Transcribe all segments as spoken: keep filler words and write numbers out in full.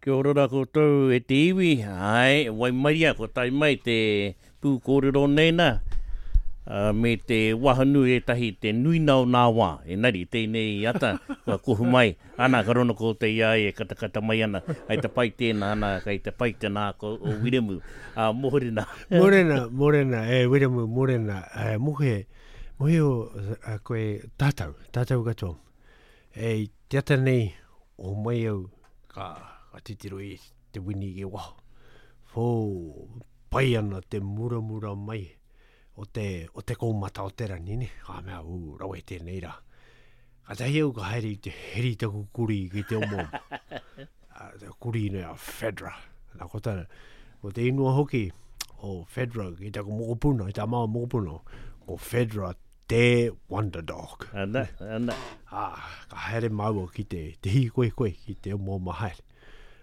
Kia ora rā koutou e te iwi, ai, waimaria ko tae mai te pūkōrero nei nā, uh, me te wahanui ētahi te nuina o nā wā. Engari, tēnei ata, kua kuhu mai, ana, ka rono koutou i a ia e katakata mai ana, kai te pai tēnā, ana, kai te pai te nākau o Wiremu. Uh, mōrena. Mōrena, mōrena, e Wiremu, mōrena. E, mohe, mohe o uh, koe tātou, tātou katoa. E, i te ata nei, o mai au, ka, ka titiro i te wini ki waho. Fō, pai ana te muramura mai o te, o te kōmata o te rangi, ne? Ka mea, ū, rawe tēnei rā. Ka tahi au ka haere i te heri taku kuri ki te omo. Te kuri nei a Fedra. Nā, ko tāna, ko te ingoa hoki o Fedra ki taku mokopuna, i tā māua mokopuna, ko Fedra te Wonder Dog. Ana, ana. Ah, ka haere māua ki te, te hīkoi koe, ki te omo oma haere.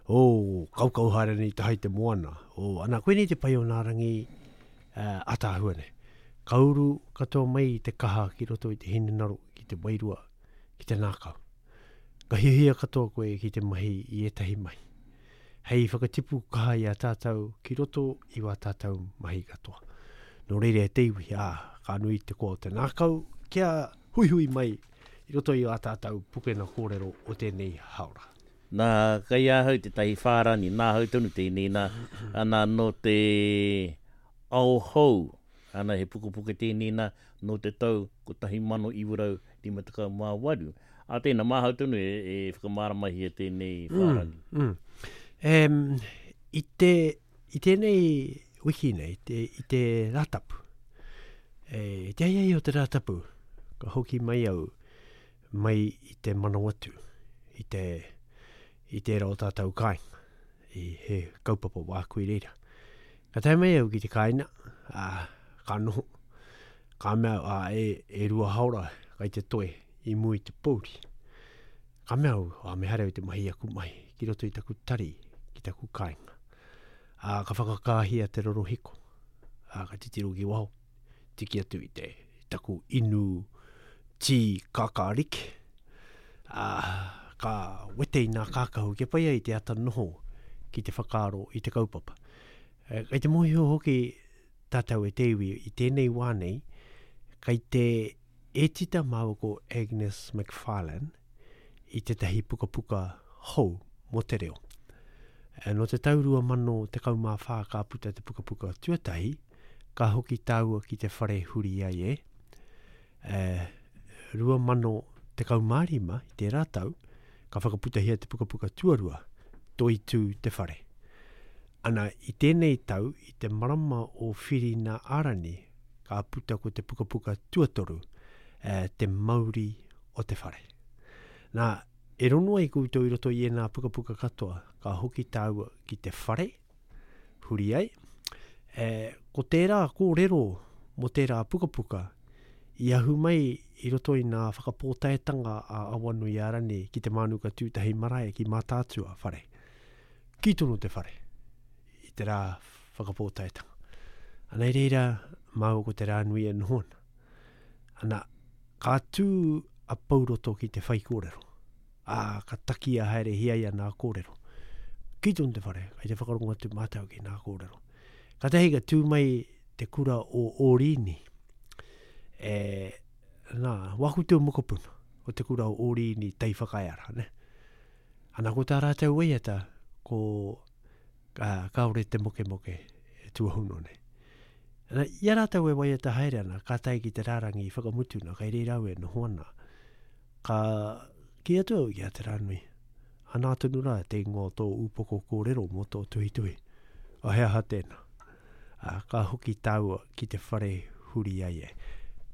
O, kaukau haere nei tahi te moana. O, ana, koe nei te pai o nā rangi uh, ataahua nei. Ka uru katoa mai i te kaha ki roto i te hinengaro, ki te wairua, ki te nākau. Ka hiahia katoa koe ki te mahi i ētahi mahi. Hei whakatipu kaha i a tātou ki roto i wā tātou mahi katoa. Nō reira e te iwi, ā, ka nui te koa o te nākau, kia huihui mai i roto i wā tātou pukena kōrero o tēnei haora. Nā, kei ahau te tahi whārani, nā hau tonu tēnei, nā, ana nō te ao hou, ana he pukapuka tēnei nā, nō te tau kotahi mano iwa rau rima tekau mā waru. A tēnā, māhau tonu e, e whakamāramahia tēnei whārani. Mm, mm. Em, i te, i tēnei wiki nei, te, i te Rātapu, e, i te ahiahi o te Rātapu, ka hoki mai au mai i te Manawatu, i te, i tērā o tātou kāinga, i he kaupapa wāku i reira. Ka tae mai au ki te kāinga, ā, ka noho, ka mea, ā, e, e rua haora kai te toe i mua i te pōuri. Ka mea au, ā, me haere au te mahi aku mahi ki roto i taku tari, ki taku kāinga. Ā, ka whakakāhia te rorohiko. Ā, ka titiro ki waho, tiki atu i te taku inu tī kākāriki. Ā, ka wete i nā kākahu kia pai ai te ata noho ki te whakaaro i te kaupapa. E, kei te mōhio hoki tātou e te iwi i tēnei wā nei, kei te ētita māua ko Agnes McFarlane i tētahi pukapuka hou mō te reo. E, nō te tau rua mano tekau mā whā ka puta te pukapuka tuatahi, ka hoki tāua ki te whare huri ai e. E, rua mano tekau mā rima i tērā tau, ka whakaputahia te pukapuka tuarua, Toitū te whare. Ana, i tēnei tau, i te marama o Whirina Arani, ka puta ko te pukapuka tuatoru, e, te mauri o te whare. Nā, e rono ai koutou i roto i ēnā pukapuka katoa, ka hoki tāua ki te whare, huri ai. E, ko tērā kōrero mō tērā pukapuka, i ahu mai i roto i nā whakapōtaetanga a Awanuiārani ki te Mānuka Tūtahi Marae ki Mātaatua whare. Ki tonu te whare, i te rā whakapōtaetanga. Ana i reira, māua ko te Rānui e noho ana. Ana, ka tū a Pouroto ki te whaikōrero. Ā, ka takia haere hia ia nā kōrero. Ki tonu te whare, kai te whakarongo atu mātou ki nā kōrero. Ka tahi ka tū mai te kura o Ōrini. E, nā, waku tū mokopuna o te kura o Ōrini tai whakaeara, ne? Ana ko tā rātou waiata, ko uh, kāore te mokemoke e tuahuno nei. Ana, i a rātou e waiata haere ana, ka tae ki te rārangi whakamutuna, kai reira au e noho ana. Ka ki atu au ki a Te Rānui. Anā tonu rā te ingoa o tō ūpoko kōrero mō tō tuhituhi. O he aha tēnā. Ā, ka hoki tāua ki te whare huri ai e.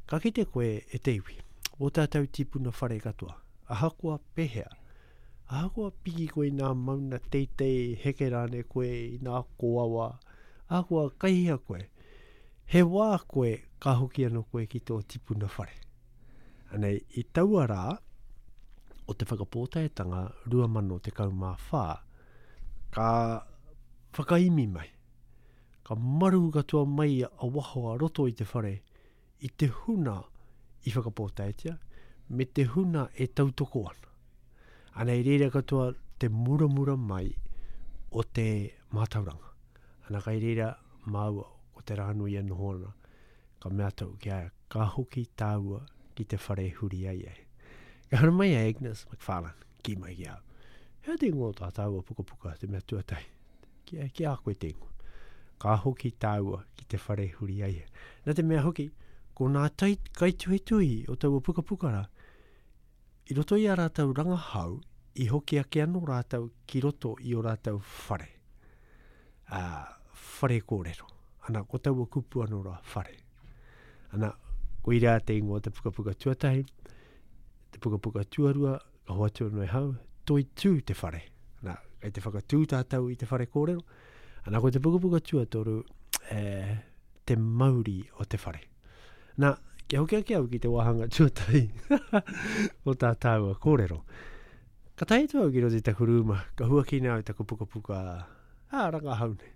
Ka kite koe e te iwi, o tātou tīpuna whare katoa, ahakoa pēhea, ahakoa piki koe i nā mauna teitei, heke rāne koe i nā kōawa, ahakoa kaihia koe, he wā koe ka hoki anō koe ki tō tipuna whare. Anei, i taua rā o te whakapōtaetanga rua mano tekau mā whā, ka whakaimi mai, ka maru katoa mai a waho a roto i te whare, i te huna i whakapōtaetia, me te huna e tautoko ana. Anei reira katoa te muramura mai o te mātauranga. Ana kai reira māua ko te rānui e noho ana, ka mea tau ki a ka hoki tāua ki te whare huri ai ai. Ka hara mai a Agnes McFarlane, ki mai ki au. Hea te ingoa o tā tāua pukapuka te mea tuatahi? Ki, ki a koe te ingoa. Ka hoki tāua ki te whare huri ai ai. Nā te mea hoki, ko nā tai, kaituhituhi o taua pukapuka rā, i roto i a rātou rangahau, i hoki ake anō rātou ki roto i o rātou whare. Uh, whare kōrero. Ana, ko taua kupu anō rā, whare. Ana, ko ira te ingoa te pukapuka tuatahi, te pukapuka tuarua, ka hoatu anō e hau, toi tū te whare. Ana, kei te whakatū tātou i te whare kōrero. Ana, ko te pukapuka tuatoru, eh, te mauri o te whare. Nā, kia hoki ake au ki te wāhanga tuatahi o tā tāua kōrero. Ka tae atu au ki roto i taku rūma, ka huakina au taku pukapuka ā, rangahau nei.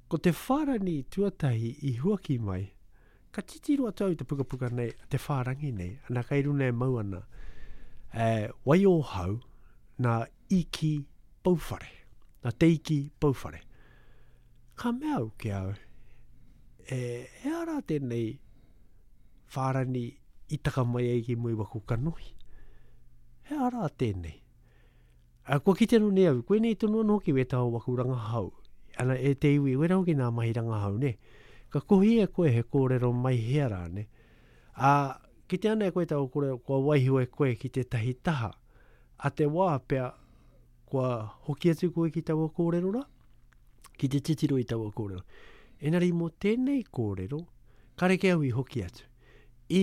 Ko te whārangi tuatahi i huaki mai, ka titiro atu au i te pukapuka nei, te whārangi nei, ana kai runa e mau ana, e, Waiohau nā Iki Pouwhare, nā Te Iki Pouwhare. Ka mea au ki au, e, he ara tēnei whārani i taka mai ai ki mua i waku kanohi. He ara tēnei. A, kua kite anō nei au, koinei tonu anō hoki wētaha o waku rangahau. Ana e te iwi, wera hoki nā mahi rangahau, ne? Ka kohi e koe he kōrero mai hea rā, ne? A, kite ana e koe taua kōrero, kua waiho e koe ki tētahi taha. A te wā pea, kua hoki atu koe ki taua kōrero rā, ki te titiro i taua kōrero. Engari mō tēnei kōrero, kareke au i hoki atu. I,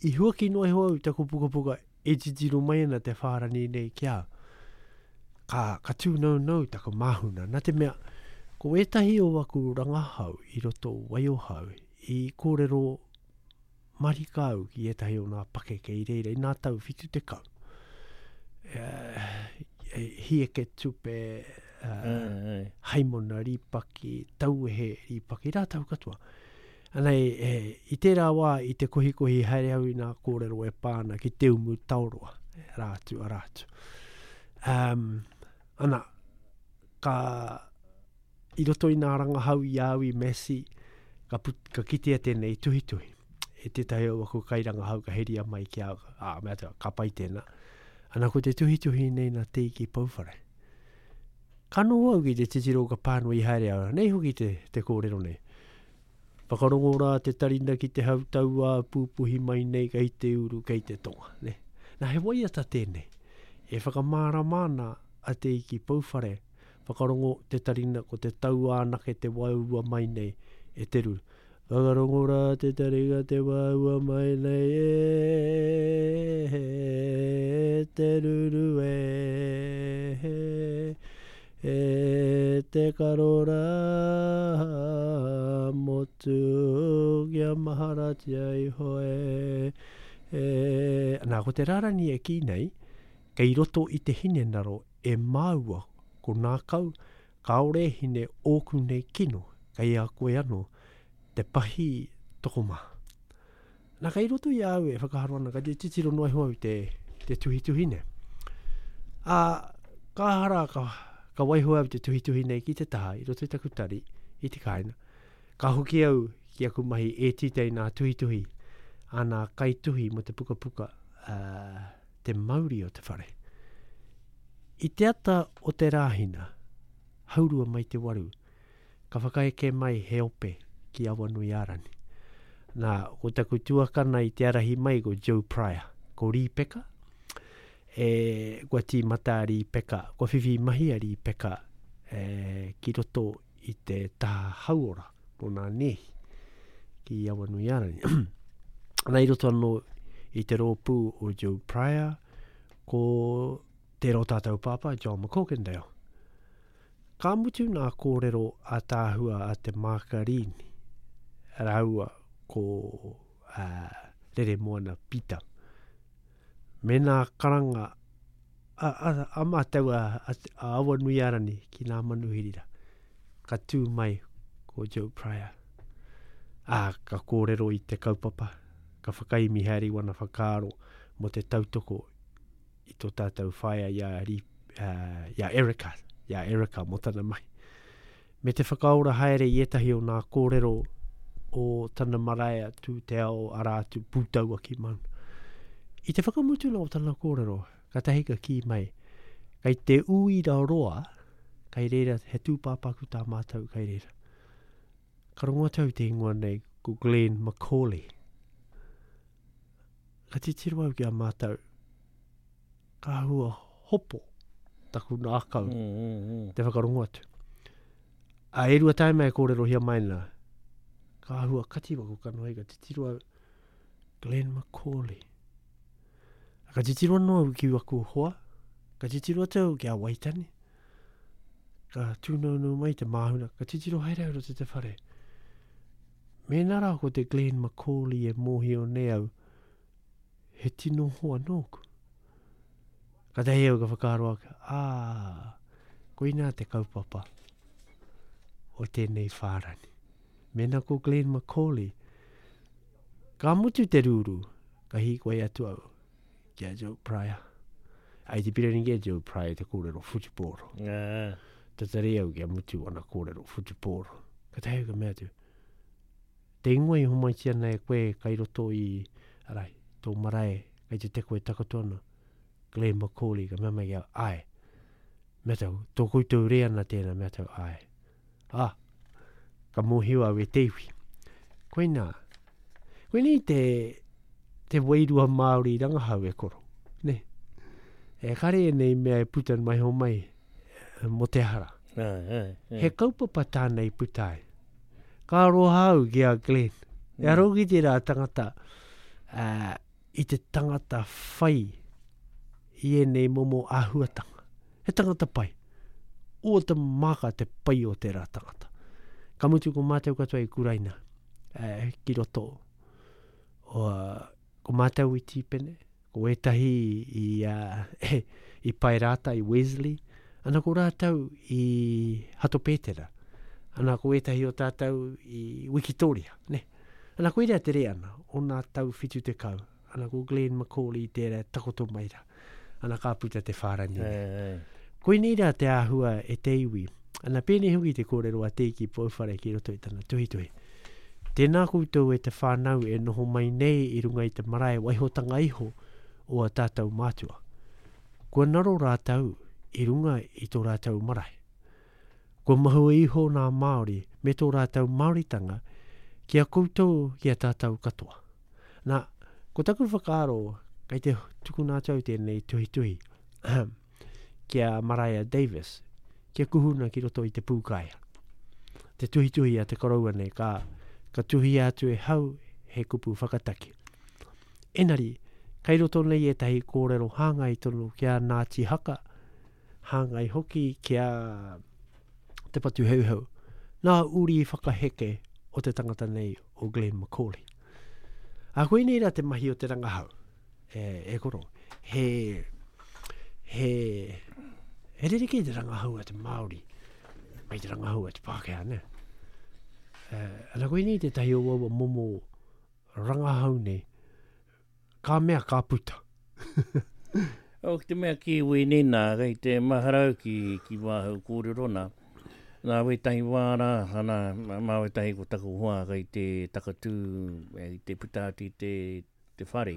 i huaki noa iho au taku pukapuka e titiro mai ana te whārani nei ki au. Ka, ka tūnaunau taku māhuna. Nā te mea, ko ētahi o aku rangahau i roto Waiohau, i kōrero marika au ki ētahi o nā pakeke i reira, i nā tau whitu tekau. E, e, Hieke Tupe, uh, Haimona Rīpaki, Tauwehe Rīpaki, rātou katoa. Ana e, e, i tērā wā i te kohikohi haere au i nā kōrero e pā ana ki te umu tauroa, rā atu, arā atu. Um, ana, ka, i roto i nā rangahau i au i Massey, ka, put, ka kitea tēnei tuhituhi. E tētahi o aku kairangahau ka heria mai ki au, ā, mea atu, ka pai tēnā. Ana ko te tuhituhi nei nā Te Iki Pouwhare. Ka noho au ki te titiro ka pānui haere au, nei hoki te, te kōrero nei. Whakarongo rā te tarina ki te hau tauā pūpuhi mai nei kei te uru, kei te tonga. Ne? Nā, he waiata tēnei. E whakamārama ana a Te Iki Pouwhare, whakarongo te tarina ko te tauā anake te waua mai nei e te ruru. Whakarongo rā te taringa te waua mai nei e, te ruru e, e te karora motu kia maharatia iho e, e. Nā, ko te rārani e kī nei, kei roto i te hinengaro e māua ko nākau, kāore hine ōku nei kino, kei a koe anō, te pahi tokoma. Nā, kei roto i a au e whakaharo ana, kei te titiro noa iho au te, te tuhituhi nei. Ā, ka hara, ka, ka waiho au te tuhituhi nei ki te taha, i roto i taku tari, i te kāinga. Ka hoki au ki aku mahi e titei nā tuhituhi, a nā kaituhi mo te pukapuka, uh, te mauri o te whare. I te ata o te rāhina, haurua mai te waru, ka whakaeke mai he ope ki Awanuiārani. Nā, ko taku tuakana i te arahi mai ko Joe Pryor, ko Rīpeka, e, kua tīmata a Rīpeka, kua whiwhi mahi a Rīpeka e, ki roto i te taha hauora mō nā nēhi ki Awanuiārani. Nā, i roto anō i te rōpū o Joe Pryor, ko te rō tātou pāpā, John McCorkindale. Ka mutu nā kōrero a tāhua a te Mākarīni, rāua ko uh, Reremoana Pita. Me nā karanga a, a, a mātou a, a, a Awanuiārani ki nā manuhirira. Ka tū mai ko Joe Pryor. Ā, ka kōrero i te kaupapa, ka whakaimi haere i wana whakaaro mō te tautoko i tō tātou whaea i a, uh, i a Erica, i a Erika mō tana mahi. Me te whakaora haere i ētahi o nā kōrero o tana marae a Tūteao arā atu Pūtaua ki Mauna. I te whakamutuna o tana kōrero, ka tahi ka kī mai, kei te uira roa, kei reira he tūpāpaku tā mātou kei reira. Ka rongo atu au te ingoa nei, ko Glenn Macaulay. Ka titiro au ki a mātou, ka hua hopo taku nākau Mm, mm, mm. te whakarongo atu. A e rua taima e kōrerohia mai nā, ka hua kati waku kanohi, ka titiro au, Glenn Macaulay. Ka titiro anō au ki waku hoa, ka titiro atu au ki a Waitani, ka tūnaunau mai te māhuna, ka titiro haere au roto te whare. Mēnā rā ko te Glenn Macaulay e mōhio nei au, he tino hoa nōku. Ka tahi au ka whakaaro ake, ā, koinā te kaupapa o tēnei whārani. Mēnā ko Glenn Macaulay, ka mutu te rūrū, ka hīkoi atu au ki a Joe Pryor. Ai te pirani ki a Joe Pryor te kōrero whutupōro. Ah, Tatari au kia mutu ana kōrero whutupōro. Ka tahi au ka mea atu, te ingoa i homaitia nei koe kai roto i, arai, tō marae, kai te teko e takoto ana, Glenn Macaulay, ka mea mai ki au, ai. Mea tau, tō koutou re ana tēnā, mea tau, ai. Ah, ka mōhio au e te iwi. Koinā, koinei te, te wairua Māori rangahau e koro. Ne? E kare e nei mea e puta mai ho mai eh, mō te hara. ai, ai, ai. He kaupapa tāna i puta ai. Ka aroha au ki a Glenn. E aro ki tērā tangata, uh, i te tangata whai i ēnei momo āhuatanga. He tangata pai. O te māka te pai o tērā tangata. Ka mutu ko mātou katoa i kuraina, eh, ki roto. O, uh, ko mātou i Tīpene, ko ētahi i, uh, i Paerata, i Wesley, ana ko rātou i Hato Pētera, ana ko ētahi o tātou i Wikitoria, ne? Ana koira te reana o nā tau whitu tekau, ana ko Glenn Macaulay tērā takoto mai rā, ana ka puta te whārangi nei. Ai, ai. Koinei rā te āhua e te iwi. Ana pēnei hoki te kōrero a Te Iki Pouwhare ki roto i tana tuhituhi. Tēnā koutou e te whānau e noho mai nei i runga i te marae waihotanga iho o a tātou mātua. Kua naro rātou i runga i tō rātou marae. Kua mahue iho nā Māori me tō rātou Māoritanga ki a koutou ki a tātou katoa. Nā, ko taku whakaaro, kei te tukuna atu au tēnei tuhituhi, ki a Mariah Davis, kia kuhuna ki roto i te pūkaea. Te tuhituhi a te koroua nei, ka, ka tuhia atu e hau he kupu whakataki. Enari, kei roto nei ētahi kōrero hāngai tonu ki a Ngāti Haka, hāngai hoki ki a Te Patu Heuheu, nā uri whakaheke o te tangata nei o Glenn Macaulay. A koinei rā te mahi o te rangahau, e, e koro, he, he, he rerekē te rangahau a te Māori, mai te rangahau a te Pākehā, ne? Eh, ana koinei tētahi o aua momo rangahau nei, ka mea ka puta. O ki te mea ki wēnei nā, kei te maharau ki, ki wāhau kōrero nā. Nā wētahi wā rā, ana, mā wētahi ko taku hoa kei te takatū, e, te puta atu i te, te whare,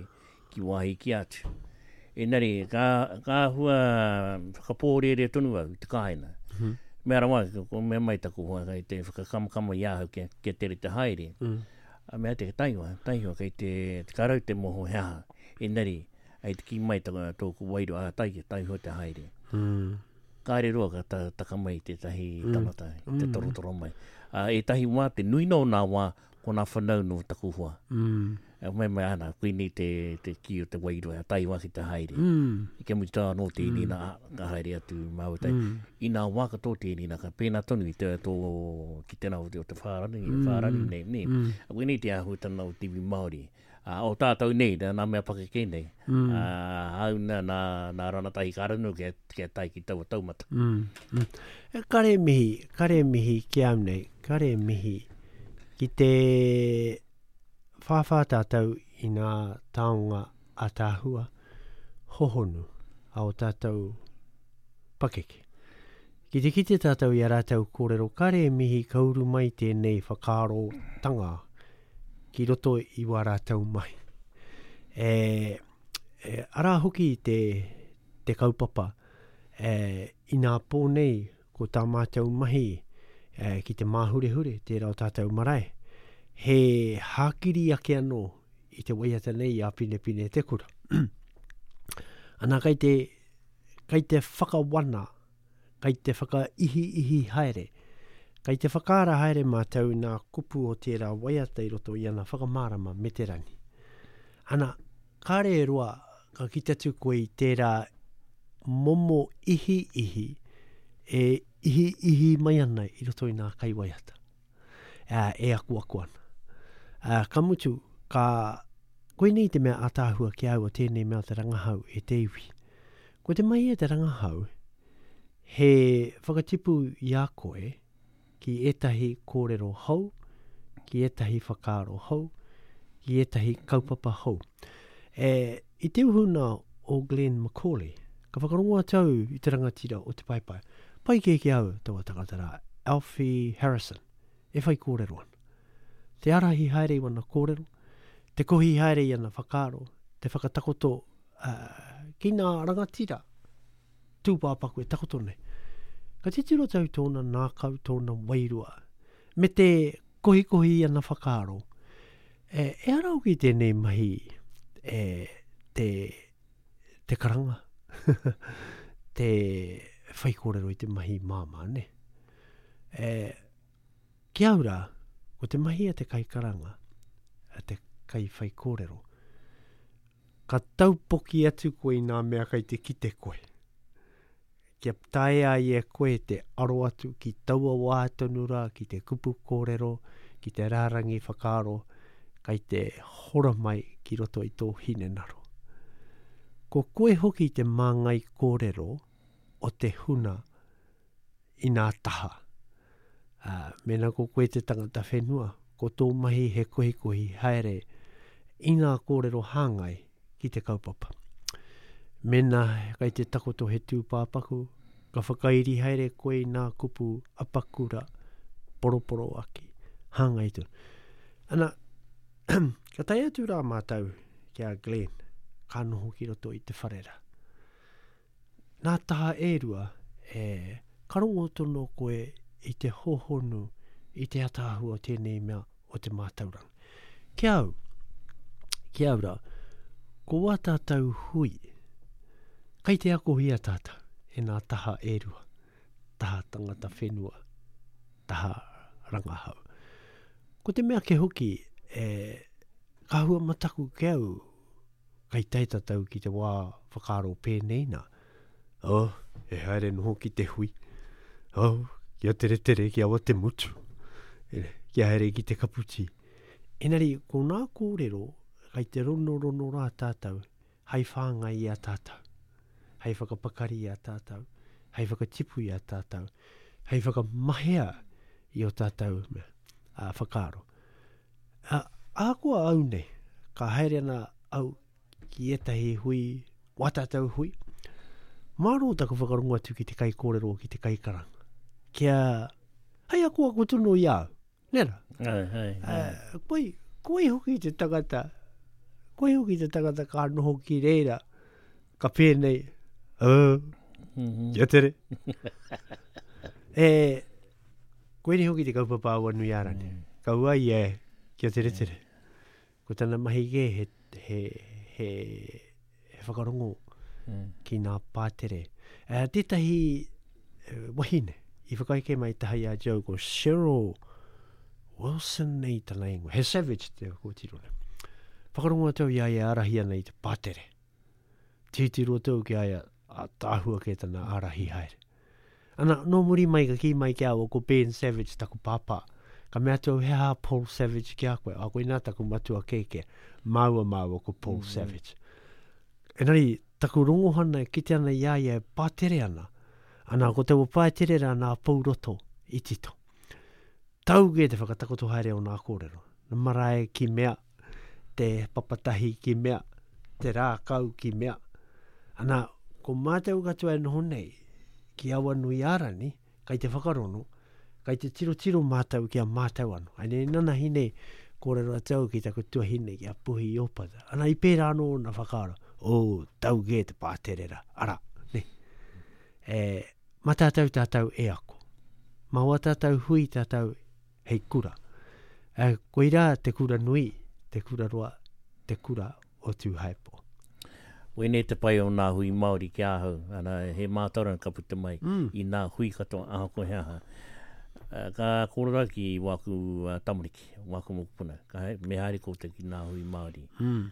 ki wāhi ki atu. Engari, ka, ka hua whakapōrere tonu au i te kāinga. Mm -hmm. Mea rawa, ko mea mai taku hoa kei te whakakamakama i ahau kia, kia tere te haere. Mm. A mea te taiwa, taiwa kei te, te karau te moho he aha. Engari, ai te ki mai taku, tōku wairua, a tai, taiho te haere. Mm. Kāre roa ka ta, taka mai tētahi Mm. tangata, te Mm. torotoro mai. A, ētahi wā, te nui nō nā wā, ko nā whanau nō taku hoa. Mm. E mai mai ana, koinei te, te ki o te wairua, a taiwa ki te haere. Mm. I kia mutu tā anō tēnei nā, ka haere atu māu tai. Mm. I nā wā katoa tēnei nā, ka pēnā tonu i te tō ki te nā o te, o te whārani, Mm. whārani nei, nei. Mm. A koinei te āhuatanga o te iwi Māori. A, o tātou nei, nā, nā mea pakeke nei. Mm. A, hauna nā, nā ranatahi karanu kia, kia tae ki taua taumata. Mm. Mm. E, Kare mihi, kare mihi ki au nei, kare mihi ki te whāwhā tātou i ngā taonga ātaahua hohonu a o tātou pakeke. Ki te kite tātou i a rātou kōrero, kare e mihi kauru mai tēnei whakaarotanga ki roto i wā rātou mahi. E, e, arā hoki te, te kaupapa, e, inā pō nei ko tā mātou mahi e, ki te māhurehure, tērā o tātou marae, he hākiri ake anō i te waiata nei a Pinepine te kura. Ana kai te, kai te whakawana, kai te whakaihiihi haere, kai te whakaara haere mātou nā kupu o tērā waiata i roto i ana whakamārama me te rangi. Ana, kāre e roa ka kite atu koe i tērā momo ihiihi e ihiihi mai ana i roto i nā kaiwaiata. Ā, e aku aku ana. Ā, ka mutu, ka koinei te mea ātaahua ki au o tēnei mea te rangahau e te iwi. Ko te mahi e te rangahau, he whakatipu i a koe ki ētahi kōrero hou, ki ētahi whakaaro hou, ki ētahi kaupapa hou. E, i te uhuna o Glenn Macaulay, ka whakarongo atu au i te rangatira o te paepae. Pai kē ki au taua tangata rā, Alfie Harrison, e whai kōrero ana. Te ārahi haere i wana kōrero, te kohi haere i ana whakaaro, te whakatakoto uh, ki ngā rangatira tūpāpaku e takoto nei. Ka titiro tau tōna nākau, tōna wairua, me te kohikohi i ana whakaaro. E, e ara hoki tēnei mahi e, te, te karanga, te whaikōrero i te mahi māmā, ne? E, ki au rā, ko te mahi a te kaikaranga, a te kai whaikōrero, ka taupoki atu koe i ngā mea kai te kite koe. Kia taea ai e koe te aro atu ki taua wā tonu rā, ki te kupu kōrero, ki te rārangi whakaaro, kai te hora mai ki roto i tō hinengaro. Ko koe hoki te māngai kōrero o te huna i nā taha. Uh, mēnā ko koe te tangata whenua, ko tō mahi he kohikohi haere i ngā kōrero hāngai ki te kaupapa. Mēnā kai te takoto he tūpāpaku, ka whakairi haere koe i nā kupu apakura, poroporoaki, hāngai tonu. Ana, ka tae atu rā mātou ki a Glenn, ka noho ki roto i te whare rā. Nā taha e rua, e, ka rongo tono koe i te hohonu, i te ataahua o tēnei mea o te mātauranga. Ki au, ki au rā, ko wā tātou hui, kai te akohia tātou e nā taha e rua, taha tangata whenua, taha rangahau. Ko te mea ke hoki, e, ka hua mataku ki au, kai tae tātou ki te wā whakaaro pēnei nā. Oh, e haere noho ki te hui. Oh, kia tere tere, kia awa te mutu. E, kia haere ki te kaputi. Engari, ko nā kōrero, kai te rono rono rā tātou, hai whāngai i a tātou, hai whakapakari i a tātou, hai whakatipu i a tātou, hai whakamahea i o tātou uh, whakaaro. Uh, ahakoa au nei, ka haere ana au ki ētahi hui, wā tātou hui, mārō taku whakarongo atu ki te kaikōrero, ki te kaikaranga. Kia, hei ako ako tonu i au, nē rā? Ai, ai, ai. Uh, koi, koi hoki te tangata, koi hoki te tangata ka noho ki reira, ka pēnei, oh, Mm-hmm. kia tere. E, koinei hoki te kaupapa Awanuiārani. Mm. Kaua ia e, kia tere tere. Ko tana mahi kē he, he, he, he whakarongo Mm. ki ngā pātere. Uh, tētahi uh, wahine i whakaeke mai taha i a Joe ko Cheryl Wilson nei tana ingoa. He Savage te kōtiro nei. Whakarongo atu i a ia ārahi ana i te pātere. Titiro atu ki a ia, a tāhua ke tana ārahi haere. Ana, nō muri mai ka kī mai ki a ko Ben Savage taku pāpā. Ka mea atu au, he aha Paul Savage ki a koe. A koe nā taku matua kēkē. Māua māua ko Paul mm -hmm. Savage. Engari, taku rongohana e kite ana i a ia e pātere ana. Ana, ko taua pātere rā nā Pouroto i tito. Tau kē te whakatakoto haere o nā kōrero. Nā marae ki mea, te papatahi ki mea, te rākau ki mea. Ana, ko mātou katoa e noho nei, ki Awanuiārani, kai te whakarono, kai te tirotiro mātau ki a mātau anō. Ai nei nanahi nei, kōrero atu au ki taku tuahine ki a Puhi Opata. Ana i pērā anō ōna whakaaro, oh, tau kē te pātere rā, ara, ne. E, mā tātou tātou e ako. Mā wā tātou hui tātou hei kura. E, koirā te kura nui, te kura roa, te kura o Tūhaepo. Wēnei te pai o nā hui Māori ki ahau, ana, he mātauranga ka puta mai mm. i nā hui katoa ahakoa he aha. Ka kōrero ki wāku tamariki, wāku mokopuna, ka haere, me haere koutou ki nā hui Māori. Mm.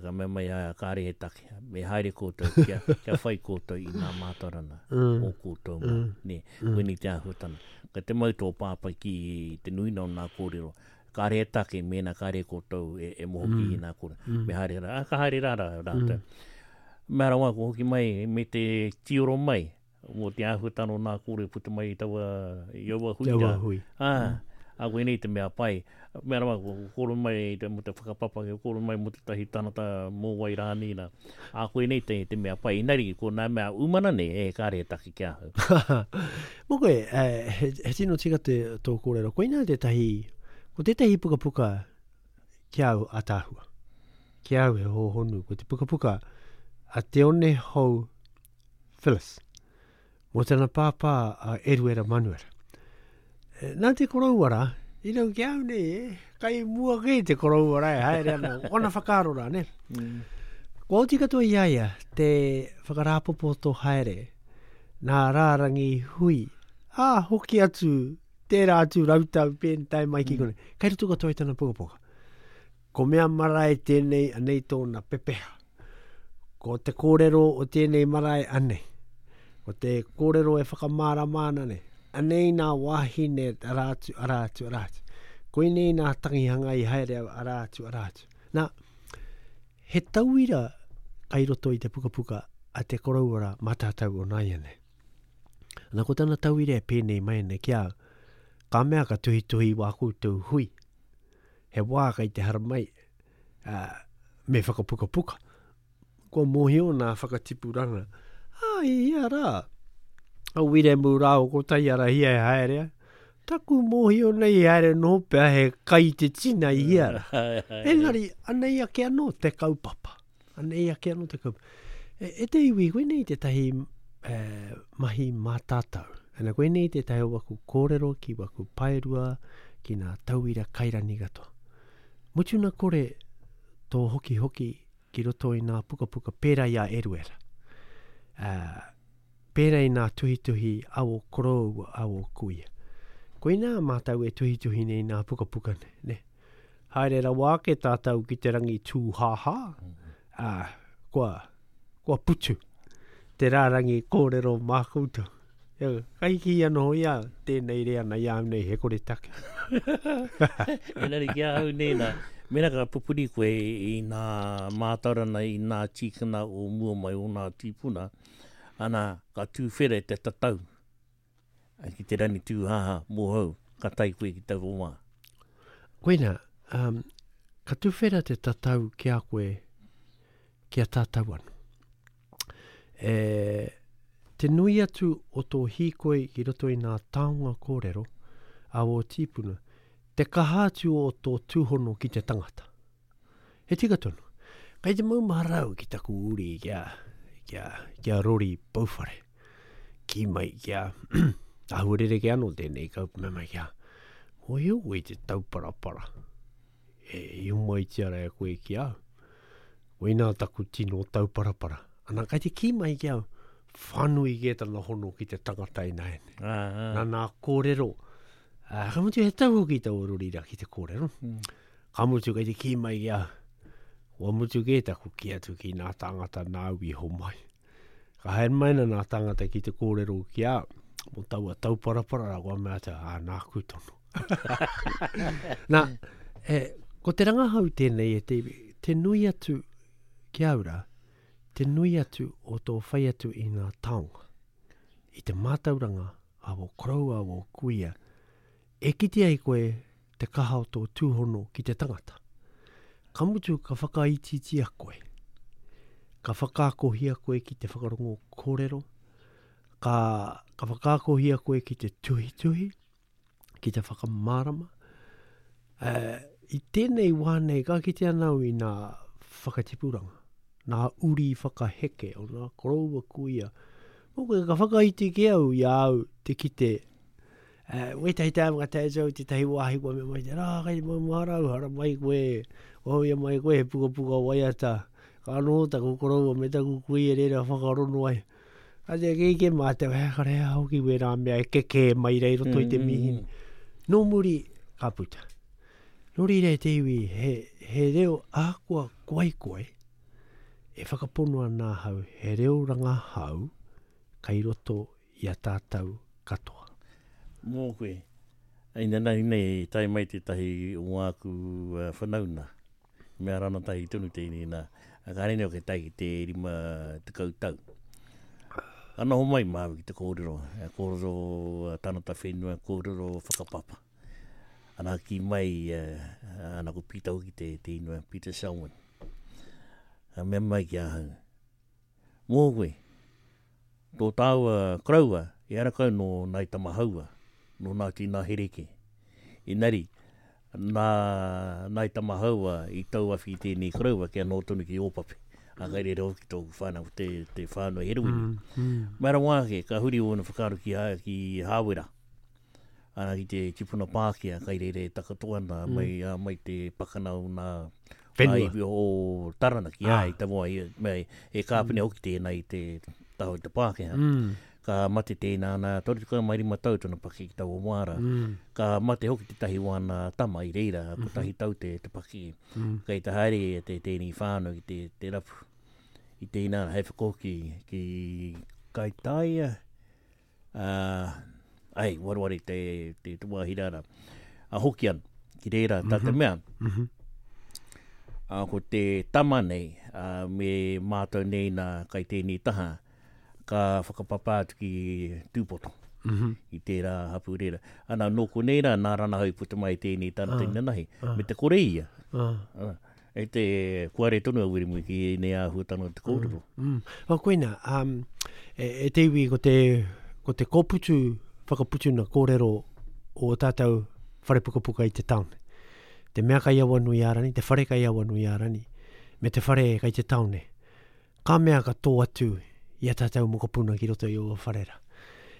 Ka mea mai, kāre he take, me haere koutou kia, kia whai koutou i nā mātauranga mm. o koutou mā. Mm. Ne, mm. Koinei te āhuatanga. Ka te mau tō pāpā ki te nuina o nā kōrero, kāre he take mēnā kāre koutou e, e moho ki mm. i nā kōrero. Mm. Me haere rā, ka haere rā rā rātou. Mm. Mea rawa ko hoki mai, me te tioro mai, mō te āhuatanga o nā kōrero puta mai i taua, i aua hui Taua rā. hui. Ah, mm. A koinei te mea pai. Mea rawa ko kōrero mai te, mō te whakapapa, ko kōrero mai mō te tahi tangata mō wai rānei nā. A koinei te, te mea pai. Inari, ko nā mea umana nei, e kāre he take ki ahau. Mō koe, eh, he, he tino tika te tō kōrero. Koinā tētahi, ko tētahi pukapuka ki au ataahua. Ki au he hōhonu. Ko te pukapuka a Te One Hou Phyllis. Mō tana pāpā a Eruera Manuera. Nā te koroua rā, i rau ki au nei, e, kai mua kē te koroua rā e haere ana, ona whakaaro rā, ne? Mm. Kua oti katoa i a ia te whakarāpopoto haere, nā rārangi hui, ā, hoki atu, tērā atu rautau pēn tae mai ki Mm. konei. Kai roto katoa i tana pukapuka. Ko mea marae tēnei, anei tōna pepeha. Ko te kōrero o tēnei marae anei. Ko te kōrero e whakamārama ana nei. Anei nā wāhine ara atu, ara atu, ara atu. Koinei nā tangihanga i haere au, ara atu, ara atu. Nā, he tauira kai roto i te pukapuka a te koroua rā mā tātou o nāianei. Nā, ko tana tauira e pēnei mai nei ki au, ka mea ka tuhituhi wā koutou hui. He wā kai te haramai, uh, me whakapukapuka. Kua mōhio nā whakatipuranga. Ā, i ia rā. A Wiremu rā o ko taiara hia e haere. Taku mōhio nei haere noho pea he kai te tina i ia rā. Engari, anei ake anō te kaupapa. Anei ake anō te kaupapa. E, e te iwi, koinei tētahi e, mahi mātātau. Ana koinei tētahi o waku kōrero ki waku paerua, ki ngā tauira kairani katoa. Mutuna kore tō hoki hoki ki roto i ngā pukapuka pērā i a Eruera. Uh, pērā i ngā tuhituhi a o koroua, a o kuia. Koinā mātou e tuhituhi nei ngā pukapuka nei, ne? Haere rawa ake tātou ki te rangi tūhāhā, uh, kua, kua putu te rārangi kōrero mā koutou. Ia, kai ki anō ia, tēnei reana i au nei he kore take. Engari ki ahau nei nā, mena ka pupuri koe i nā mātauranga, i nā tīkana o mua mai o nā tīpuna, ana ka tūwhera te tatau ki te rani tūhaha mōhau, ka tai koe ki taua wā. Koina, um, ka tūwhera te tatau ki a koe, ki a tātou anō. E, te nui atu o tō hīkoi ki roto i nā taonga kōrero a o tīpuna, te kaha atu o tō tūhono ki te tangata. He tika tonu. Kai te maumahara au ki taku uri kia, kia, kia rori pouwhare. Ki mai kia, āhua rereke anō tēnei kaupapa mai kia, mōhio koe te tauparapara. E, i umaitia rā koe ki au. Koinā taku tino tauparapara. Ana, kai te kī mai ki au, whānui kē tana hono ki te tangata i nāianei. Ah, ah. Nā nā kōrero. Uh, ka mutu he tau hoki taua rori rā ki te kōrero. Mm. Ka mutu kai te kī mai ki au, kua mutu kē taku ki atu ki nā tāngata nāu i homai. Ka haere mai nā nā tāngata ki te kōrero ki au, mō taua tauparapara rā, kua mea atu, ā, nāku tono. Nā, e, ko te rangahau tēnei e te iwi, te nui atu ki au rā, te nui atu o tō whai atu i ngā taonga, i te mātauranga a o koroua, a o kuia, e kite ai koe te kaha o tō tūhono ki te tangata. Ka mutu ka whakaititia koe, ka whakaakohia koe ki te whakarongo kōrero, Ka, ka whakaakohia koe ki te tuhituhi, ki te whakamārama. Uh, I tēnei wā nei, ka kite ana au i nā whakatipuranga, nā uri whakaheke o nā koroua kuia. Mō koe, ka whakaiti ki au i a au te kite. Uh, wētahi tāma ka tae au tētahi wāhi kua mea mai te rā, kei te maumahara au, hara mai koe, wahoia mai koe, he pukapuka waiata. Ka noho taku koroua me taku kuia reira whakarono ai. Ka te kei ke mātou, he kare hea hoki wērā mea e keke mai rei roto i te mihini. Nō muri, ka puta. Nō reira e te iwi, he, he reo ahakoa koaikoai, e whakapono ana ahau, he reo rangahau kai roto i a tātou katoa. Mō koe, ai nanahi nei, tae mai tētahi o āku uh, whanauna, mea rana tahi tonu tēnei nā, a kāre nei o ke tae ki te rima tekau tau. Ka noho mai māu ki te kōrero, kōrero tangata whenua, kōrero whakapapa. Ana ki mai, uh, ana ko Peter hoki te, te ingoa, Peter Selwyn. A mea mai ki ahau. Mō koe, tō tāua koroua, e ara kau nō Ngāi Tamahaua, nō Ngāti Ngāhereke. Inari, nā Ngāi Tamahaua i tauawhi i tēnei koroua kia noho tonu ki Ōpape. A kai reira hoki tōku whānau, te, te whānau Herewini. Mm, mm. Mai rawa ake, ka huri ōna whakaaro ki, ki Hāwera. Ana ki te tipuna Pākehā, kai reira e takoto ana, Mm. mai, a, mai te pakana o nā Whenua. Nā iwi o Taranaki, Ah. ai, taua, i, mai, e kāpene hoki tēnā i te taho i te Pākehā. Mm. Ka mate tēnā nā, toru tekau mai rima tau tōna paki ki taua wāra. Mm. Ka mate hoki tētahi wāna tama i reira, kotahi tau te, te paki. Mm. Kei te haere te tēnei whānau ki te, te rapu. I tēnā, hei whakahoki ki Kaitaia, uh, ai, wareware te, te, te wāhi rāra. A hoki ana, ki reira, tā te mea, Mm -hmm. a, ko te tama nei, a, me mātou nei nā kai tēnei taha, ka whakapapa atu ki Tūpoto, Mm -hmm. i tērā hapu reira. Ana, nō konei rā, nā rana hau puta mai tēnei tana Ah, tēnei nahi, ah. me te kore ia. Ah. Ah, e te kuare tonu a Wiremu ki ēnei āhuatanga o te kōrero. Mm. O, koina, um, e, e te iwi ko te, ko te kōputu whakaputuna kōrero o tātou whare pukapuka i te taone. Te mea kai Awanuiārani, te whare kai Awanuiārani, me te whare kai te taone. Ka mea ka tō atu i a tātou mokopuna ki roto i o wharera.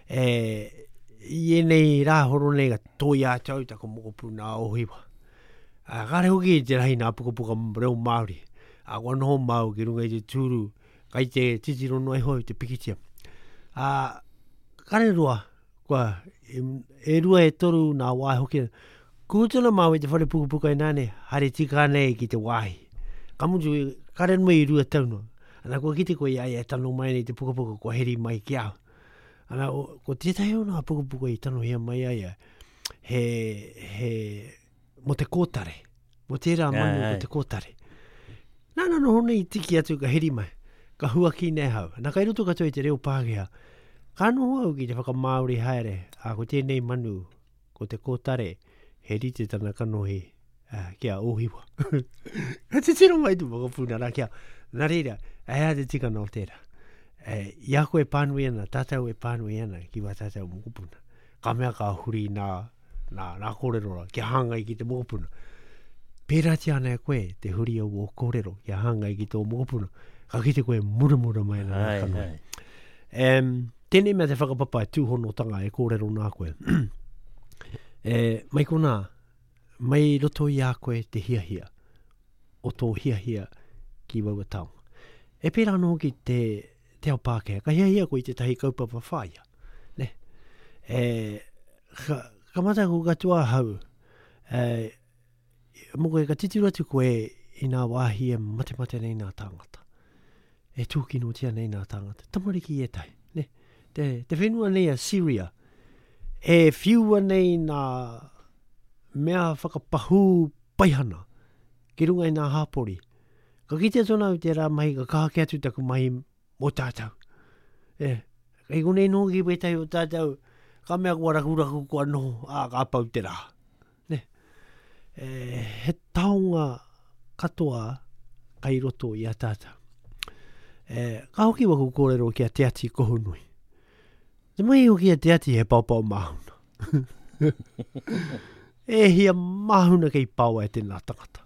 E, i ēnei rā horo nei ka tōi atu au taku mokopuna a Ohiwa. A, kāre hoki i te rahi nā pukapuka reo Māori. A, kua noho māu ki runga i te tūru, kai te titiro noa iho i te pikitia. A, kāre roa, kua, e, e rua e toru nā wāhi hoki. Kuhu tona māu i te whare pukapuka i nāne, haere tika nei ki te wāhi. Ka mutu, kāre noa i rua tau noa. Ana kua kite koe i a ia e tano mai nei te pukapuka kua heri mai ki au. Ana, o, ko tētahi o nā pukapuka i tanohia mai ai a, he, he, mo te kōtare. Mo tērā manu Ai, ai. ko te kōtare. Nā, nā, noho nei tiki atu ka heri mai. Ka huaki nei hau. Nā kai roto katoa i te reo Pākehā. Ka noho au ki te whakamāori haere. A, ko tēnei manu, ko te kōtare, he rite tana kanohi uh, ki a Ohiwa. Ka titiro mai te whakapuna rā ki a. Nā reira, e hea te tikanga o tērā. E, i a koe e pānui ana, tātou e pānui ana ki wā tātou mokopuna. Ka mea ka huri nā, nā, nā kōrero rā, kia hāngai ki te mokopuna. Pērātia ana e koe te huri o wō kōrero, kia hāngai ki tō mokopuna. Ka kite koe muramura mai ana nā Ai, kanohi. ai. Em, tēnei mea te whakapapa e tūhonotanga e kōrero nā koe. E, mai konā, mai roto i a koe te hiahia, o tō hiahia ki waua taonga. E pērā anō hoki te, te ao Pākehā, ka hiahia koe i tētahi kaupapa whāia. Ne? E, ka, ka mataku katoa ahau, e, mō koe ka titiro atu koe i nā wāhi e matemate nei nā tāngata. E tūkinotia nei nā tāngata. Tamariki e tai. Ne? Te, te whenua nei a Syria, e whiua nei nā mea whakapahū paihana ki runga i nā hāpori. Ka kite tōna au tērā mahi, ka kaha atu taku mahi mō tātou. E, kei konei noho ki wētahi o tātou, ka mea kua rakuraku kua noho, ā, ka pau te rā. Ne? E, he taonga katoa kai roto i a tātou. E, ka hoki waku kōrero ki a Te Ati Kohunui. Te mai hoki a Te Ati he paopao māhuna. E hia māhuna kei paoa e tēnā tangata.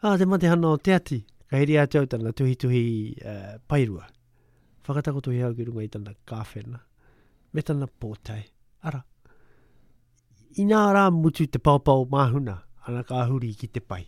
Ā, te matehana o Te Ati, ka heri atu au tana tuhituhi uh, paerua. Whakatakoto i au ki runga i tana kāwhena, me tana pōtae. Ara, inā rā mutu te paopao māhuna, ana ka huri ki te pai.